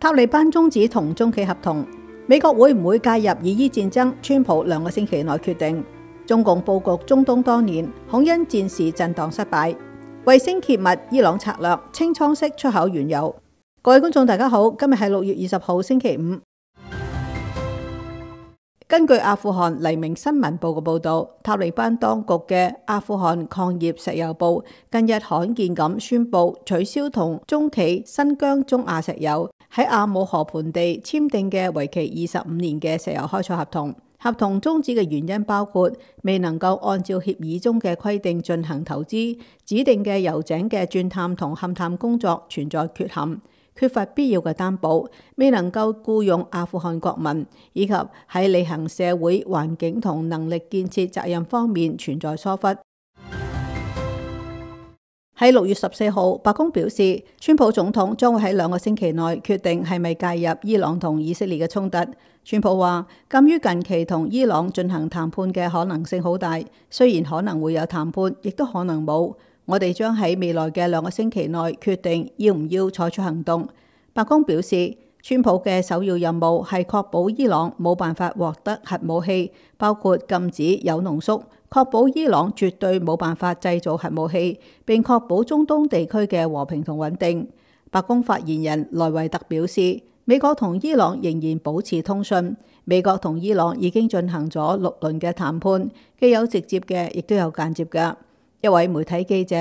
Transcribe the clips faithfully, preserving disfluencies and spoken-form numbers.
塔利班終止同中企合同，美國會唔會介入以伊戰爭？川普兩個星期內決定。中共佈局中東多年，恐因戰事震盪失敗。衛星揭密伊朗策略，清倉式出口原油。各位觀眾大家好，今日係六月二十號星期五。根據阿富汗黎明新聞報嘅報導，塔利班當局嘅阿富汗礦業石油部近日罕見咁宣布取消同中企新疆中亞石油喺阿姆河盆地簽訂嘅為期二十五年嘅石油開採合同。合同終止嘅原因包括未能夠按照協議中嘅規定進行投資，指定嘅油井嘅鑽探同勘探工作存在缺陷，缺乏必要嘅擔保，未能夠僱用阿富汗國民，以及喺履行社會環境同能力建設責任方面存在疏忽。喺六月十四號，白宮表示，川普總統將會喺兩個星期內決定係咪介入伊朗同以色列嘅衝突。川普話，鑑於近期同伊朗進行談判嘅可能性好大，雖然可能會有談判，亦都可能冇。我哋將喺未來嘅兩個星期內決定要唔要採取行動。白宮表示，川普嘅首要任務係確保伊朗冇辦法獲得核武器，包括禁止鈾濃縮，確保伊朗絕對冇辦法製造核武器，並確保中東地區嘅和平同穩定。白宮發言人萊維特表示，美國同伊朗仍然保持通訊，美國同伊朗已經進行咗六輪嘅談判，既有直接嘅，亦都有間接嘅。一位媒體記者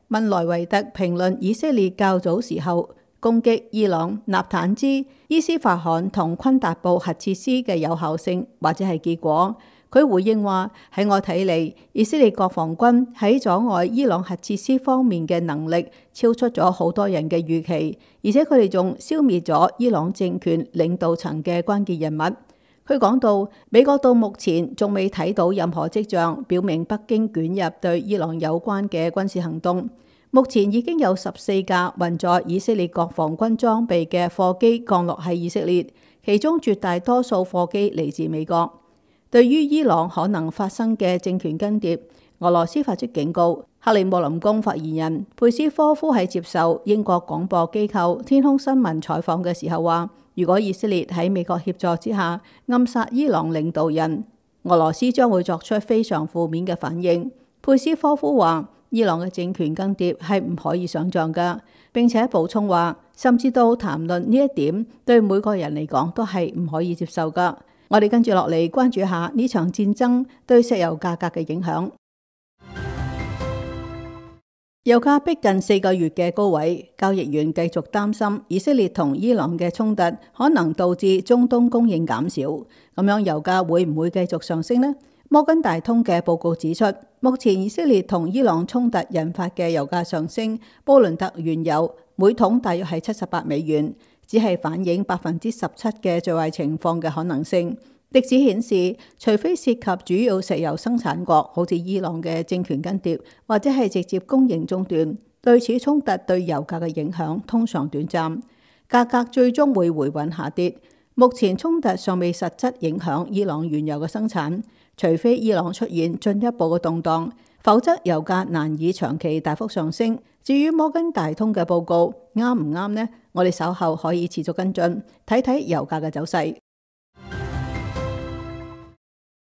問萊維特評論以色列較早時候攻擊伊朗納坦茲、伊斯法罕同昆達布核設施嘅有效性或者係結果，佢回應話，喺我睇嚟，以色列國防軍喺阻礙伊朗核設施方面嘅能力超出咗好多人嘅預期，而且佢哋仲消滅咗伊朗政權領導層嘅關鍵人物。佢講到，美國到目前仲未睇到任何跡象表明北京捲入對伊朗有關嘅軍事行動。目前已經有十四架運載以色列國防軍裝備嘅貨機降落喺以色列，其中絕大多數貨機嚟自美國。對於伊朗可能發生嘅政權更迭，俄羅斯發出警告。克里姆林宮發言人佩斯科夫喺接受英國廣播機構天空新聞採訪嘅時候話，如果以色列喺美國協助之下暗殺伊朗領導人，俄羅斯將會作出非常負面嘅反應。佩斯科夫話，伊朗嘅政權更迭係唔可以想像㗎，並且補充話，甚至到談論呢一點對每個人嚟講都係唔可以接受㗎。我哋跟住落嚟關注下呢場戰爭對石油價格嘅影響。油價逼近四個月嘅高位，交易員繼續擔心以色列同伊朗嘅衝突可能導致中東供應減少，咁樣油價會唔會繼續上升呢？摩根大通嘅報告指出，目前以色列同伊朗衝突引發嘅油價上升，布倫特原油每桶大約係七十八美元，只係反映百分之十七嘅最壞情況嘅可能性。歷史顯示，除非涉及主要石油生產國，好似伊朗嘅政權更迭，或者係直接供應中斷，對此衝突對油價嘅影響通常短暫，價格最終會回穩下跌。目前衝突尚未實質影響伊朗原油嘅生產，除非伊朗出現進一步嘅動盪，否則油價難以長期大幅上升。至於摩根大通嘅報告啱唔啱呢？我哋稍後可以持續跟進，睇睇油價嘅走勢。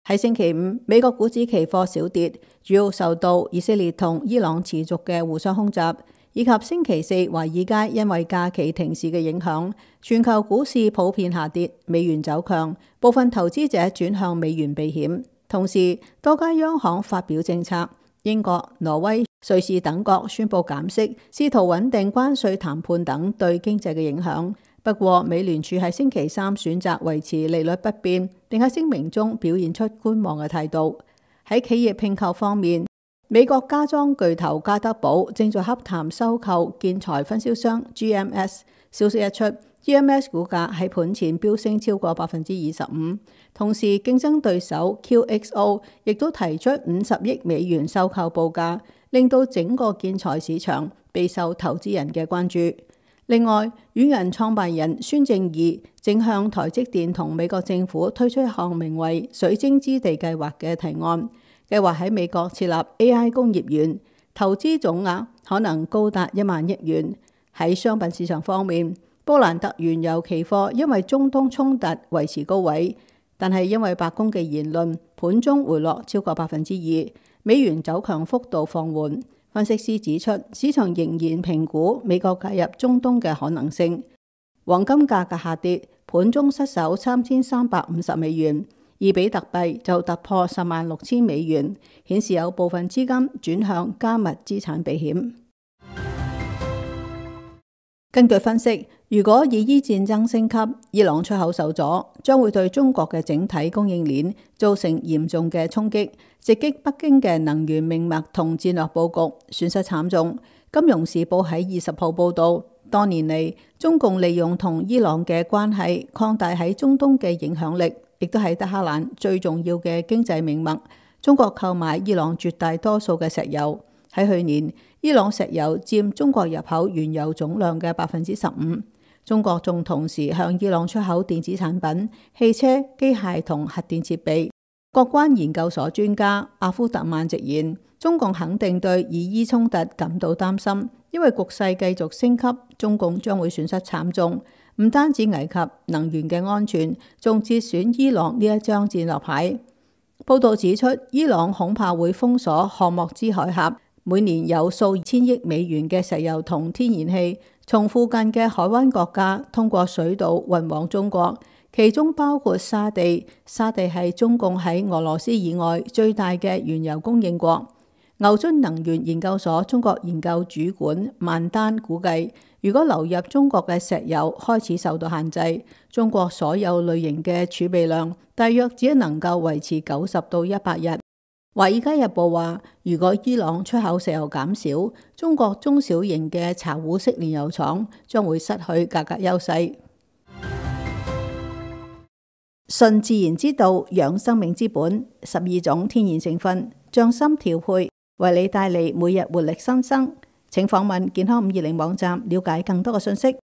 喺星期五，美國股指期貨小跌，主要受到以色列同伊朗持續嘅互相空襲，以及星期四華爾街因為假期停市嘅影響，全球股市普遍下跌，美元走強，部分投資者轉向美元避險。同時，多家央行發表政策，英國、挪威、瑞士等國宣布減息，試圖穩定關稅談判等對經濟嘅影響。不過，美聯儲喺星期三選擇維持利率不變，並喺聲明中表現出觀望嘅態度。喺企業併購方面，美國家裝巨頭家得寶正在洽談收購建材分銷商 G M S。消息一出，G M S 股價喺盤前飆升超過百分之二十五。同時，競爭對手 Q X O 亦都提出五十億美元收購報價，令到整個建材市場備受投資人嘅關注。另外，軟銀創辦人孫正義正向台積電同美國政府推出一項名為水晶之地計劃嘅提案，計劃喺美國設立 A I 工業園，投資總額可能高達一萬億元。喺商品市場方面，布蘭特原油期貨因為中東衝突維持高位，但係因為白宮嘅言論，盤中回落超過百分之二，美元走強幅度放緩。分析師指出，市場仍然評估美國介入中東嘅可能性。黃金價格下跌，盤中失守三千三百五十美元，而比特幣就突破十萬六千美元，顯示有部分資金轉向加密資產避險。根據分析，如果以伊戰爭升級，伊朗出口受阻，將會對中國嘅整體供應鏈造成嚴重嘅衝擊，直擊北京嘅能源命脈同戰略佈局，損失慘重。金融時報喺二十號報導，多年嚟中共利用同伊朗嘅關係擴大喺中東嘅影響力，亦都係德黑蘭最重要嘅經濟命脈。中國購買伊朗絕大多數嘅石油。喺去年，伊朗石油佔中國入口原油總量嘅百分之十五。中國仲同時向伊朗出口電子產品、汽車、機械同核電設備。國關研究所專家阿夫特曼直言，中共肯定對以伊衝突感到擔心，因為局勢繼續升級，中共將會損失慘重，唔單止危及能源嘅安全，仲折損伊朗呢一張戰略牌。報道指出，伊朗恐怕會封鎖霍莫茲海峽。每年有數千億美元嘅石油同天然氣從附近嘅海灣國家通過水道運往中國，其中包括沙地。沙地係中共喺俄羅斯以外最大嘅原油供應國。牛津能源研究所中國研究主管萬丹估計，如果流入中國嘅石油開始受到限制，中國所有類型嘅儲備量大約只能夠維持九十到一百日。《華爾街日報》話，如果伊朗出口石油減少，中國中小型嘅查胡式煉油廠將會失去價格優勢。順自然之道，養生命之本，十二種天然成分，匠心調配，為你帶嚟每日活力新生。請訪問健康五二零網站，了解更多嘅信息。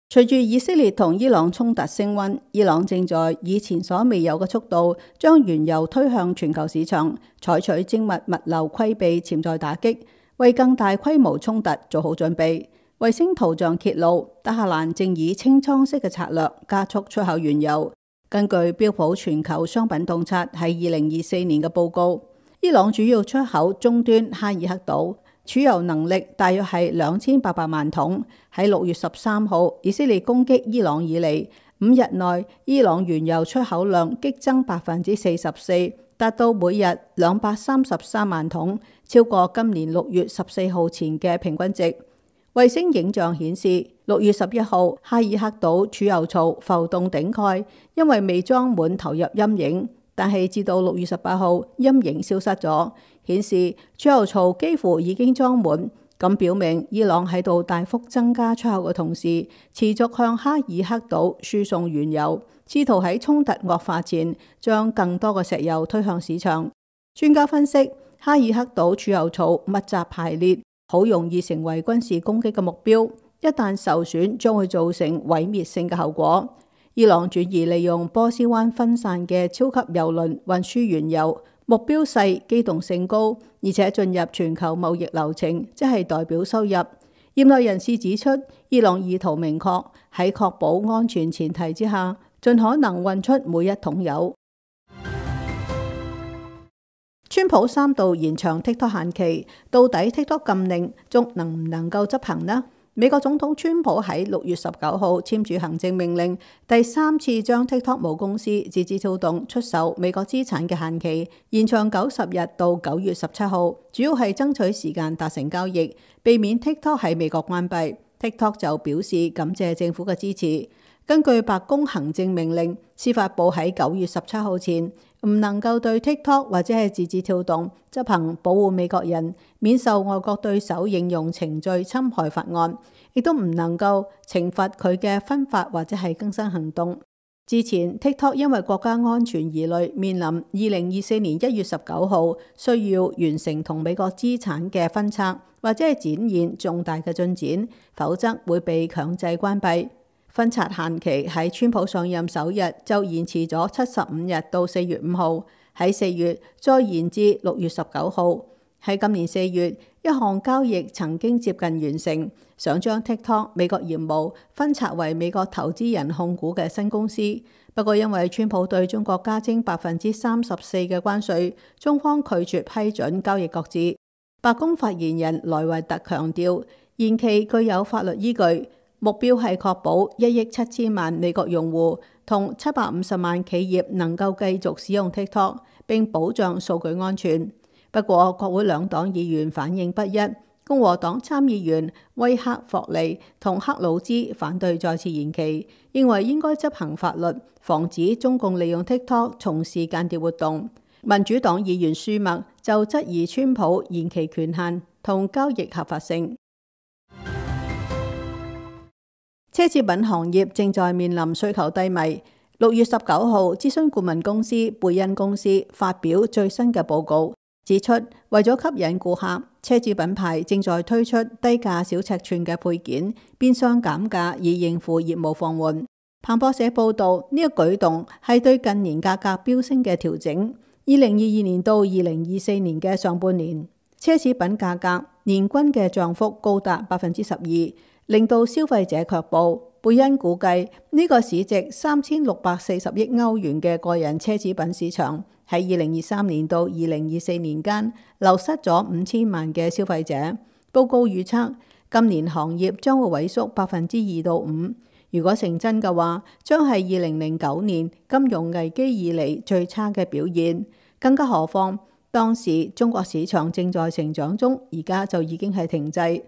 隨住以色列同伊朗衝突升溫，伊朗正在以前所未有嘅速度將原油推向全球市場，採取精密物流規避潛在打擊，為更大規模衝突做好準備。衛星圖像揭露，德黑蘭正以清倉式嘅策略加速出口原油。根據標普全球商品洞察喺二零二四年嘅報告，伊朗主要出口終端哈爾克島，儲油能力大約係兩千八百萬桶。喺六月十三號，以色列攻擊伊朗以嚟，五日內伊朗原油出口量激增百分之四十四，達到每日兩百三十三萬桶，超過今年六月十四號前嘅平均值。衛星影像顯示，六月十一號哈爾克島儲油槽浮動頂蓋，因為未裝滿投入陰影，但係至到六月十八號陰影消失咗，顯示儲油槽幾乎已經裝滿。咁表明伊朗喺度大幅增加出口嘅同時，持續向哈爾克島輸送原油，試圖喺衝突惡化前將更多嘅石油推向市場。專家分析，哈爾克島儲油槽密集排列，好容易成為軍事攻擊嘅目標，一旦受損將會造成毀滅性嘅後果。伊朗轉移利用波斯灣分散嘅超級油輪運輸原油，目標細、機動性高，而且進入全球貿易流程，即係代表收入。業內人士指出，伊朗意圖明確喺確保安全前提之下，盡可能運出每一桶油。川普三度延長 TikTok 限期，到底 TikTok 禁令仲能唔能夠執行呢？美國總統川普喺六月十九號簽署行政命令，第三次將 TikTok 母公司字節跳動出售美國資產嘅限期延長九十日到九月十七號，主要係爭取時間達成交易，避免 TikTok 喺美國關閉。TikTok 就表示感謝政府嘅支持。根據白宮行政命令，司法部喺九月十七號前唔能夠對 TikTok 或者係字節跳動執行保護美國人免受外國對手應用程序侵害法案，亦都唔能夠懲罰佢嘅分發或者係更新行動。之前 TikTok 因為國家安全疑慮，面臨二零二四年一月十九號需要完成同美國資產嘅分拆，或者係展現重大嘅進展，否則會被強制關閉。分拆限期喺川普上任首日就延遲咗七十五日到四月五號，喺四月再延至六月十九號。喺今年四月，一項交易曾經接近完成，想將 TikTok 美國業務分拆為美國投資人控股嘅新公司。不過因為川普對中國加徵百分之三十四嘅關稅，中方拒絕批准交易擱置。白宮發言人萊維特強調，延期具有法律依據，目標係確保一億七千萬美國用戶同七百五十萬企業能夠繼續使用 TikTok， 並保障數據安全。不過國會兩黨議員反應不一，共和黨參議員威克霍利同克魯茲反對再次延期，認為應該執行法律，防止中共利用 TikTok 從事間諜活動。民主黨議員舒默就質疑川普延期權限同交易合法性。奢侈品行業正在面臨需求低迷。六月十九號，諮詢顧問公司貝恩公司發表最新嘅報告，指出為咗吸引顧客，奢侈品牌正在推出低價小尺寸嘅配件，變相減價以應付業務放緩。彭博社報道，呢、這個舉動係對近年價格飆升嘅調整。二零二二年到二零二四年嘅上半年，奢侈品價格年均嘅漲幅高達百分之十二。令到消費者卻步。貝恩估計呢、這個市值三千六百四十億歐元嘅個人奢侈品市場喺二零二三年到二零二四年間流失咗五千萬嘅消費者。報告預測今年行業將會萎縮百分之二到五。如果成真嘅話，將係二零零九年金融危機以嚟最差嘅表現。更加何況當時中國市場正在成長中，而家就已經係停滯。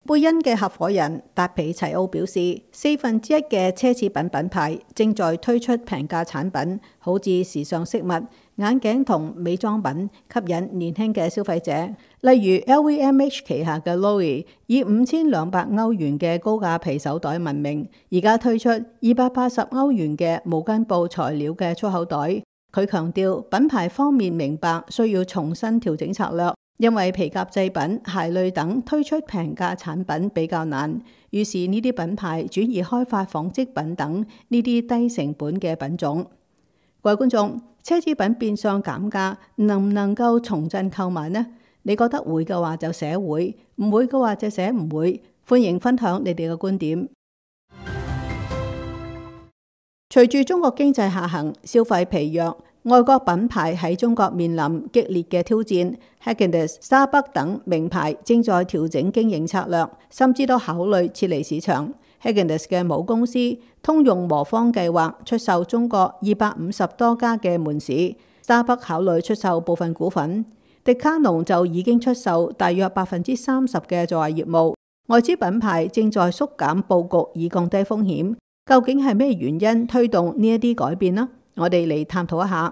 貝恩嘅合夥人達皮齊奧表示，四分之一嘅奢侈品品牌正在推出平價產品，好似時尚飾物、眼鏡同美妝品，吸引年輕嘅消費者。例如 L V M H 旗下嘅 Loewe 以五千兩百歐元嘅高價皮手袋聞名，而家推出二百八十歐元嘅毛巾布材料嘅粗口袋。佢強調品牌方面明白需要重新調整策略。因為皮革製品、鞋類等推出平價產品比較難，於是呢啲品牌轉而開發紡織品等呢啲低成本嘅品種。各位觀眾，奢侈品變相減價，能唔能夠重振購買呢？你覺得會嘅話就寫會，唔會嘅話就寫唔會。歡迎分享你哋嘅觀點。隨住中國經濟下行、消費疲弱，外國品牌喺中國面臨激烈嘅挑戰。Häagen-Dazs、Starbucks 等名牌正在調整經營策略，甚至都考慮撤離市場。Häagen-Dazs 嘅母公司通用磨坊計劃出售中國二百五十多家嘅門市。Starbucks 考慮出售部分股份。迪卡儂就已經出售大約百分之三十嘅在華業務。外資品牌正在縮減佈局以降低風險。究竟係咩原因推動呢一啲改變呢？我哋嚟探討一下。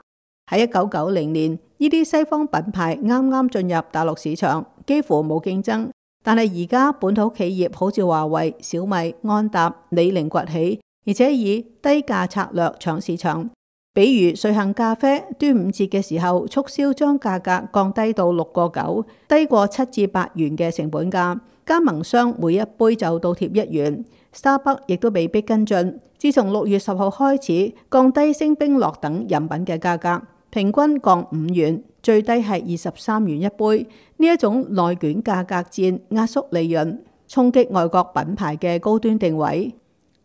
喺一九九零年，呢啲西方品牌啱啱進入大陸市場，幾乎冇競爭。但係而家本土企業好似華為、小米、安踏、李寧崛起，而且以低價策略搶市場。比如瑞幸咖啡端午節嘅時候促銷將價格降低到六個九，低過七至八元嘅成本價。加盟商每一杯就倒貼一元。Starbucks 亦都被逼跟進，自從六月十號開始降低星冰樂等飲品嘅價格，平均降五元，最低係二十三元一杯。呢一種內卷價格戰壓縮利潤，衝擊外國品牌嘅高端定位。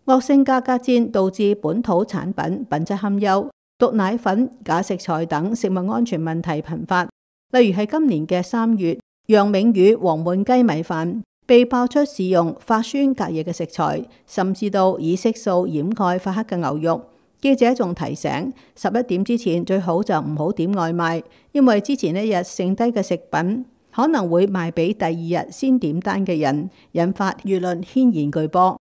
惡性價格戰導致本土產品品質堪憂，毒奶粉、假食材等食物安全問題頻發。例如係今年嘅三月，楊明宇黃燜雞米飯被爆出使用發酸隔夜嘅食材，甚至到以色素掩蓋發黑嘅牛肉。記者仲提醒，十一點之前最好就唔好點外賣，因為之前一日剩低嘅食品可能會賣俾第二日先點單嘅人，引發輿論軒然巨波。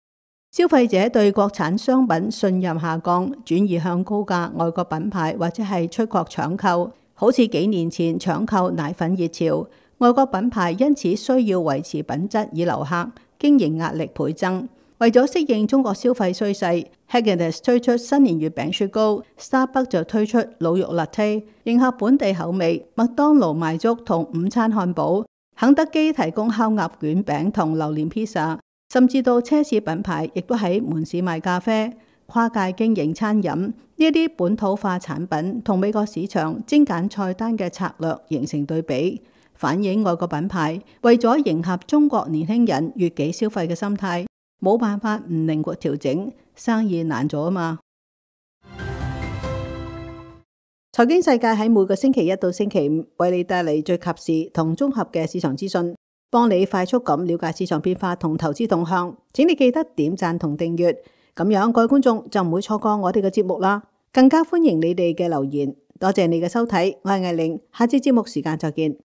消費者對國產商品信任下降，轉移向高價外國品牌或者係出國搶購，好似幾年前搶購奶粉熱潮。外國品牌因此需要維持品質以留客，經營壓力倍增。為咗適應中國消費趨勢，Häagen-Dazs 推出新年月餅雪糕， Starbucks 就推出滷肉 latte， 迎合本地口味。麥當勞賣粥同午餐漢堡，肯德基提供烤鴨卷餅同榴蓮披薩，甚至到奢侈品牌亦都喺門市賣咖啡。跨界經營餐飲，呢一啲本土化產品同美國市場精簡菜單嘅策略形成對比。反映外國品牌為咗迎合中國年輕人悅己消費嘅心態，冇辦法唔靈活調整，生意難做啊嘛。財經世界喺每個星期一到星期五為你帶嚟最及時同綜合嘅市場資訊，幫你快速咁了解市場變化同投資動向。請你記得點讚同訂閱，咁樣各位觀眾就唔會錯過我哋嘅節目啦。更加歡迎你哋嘅留言，多謝你嘅收睇，我係艾玲，下次節目時間再見。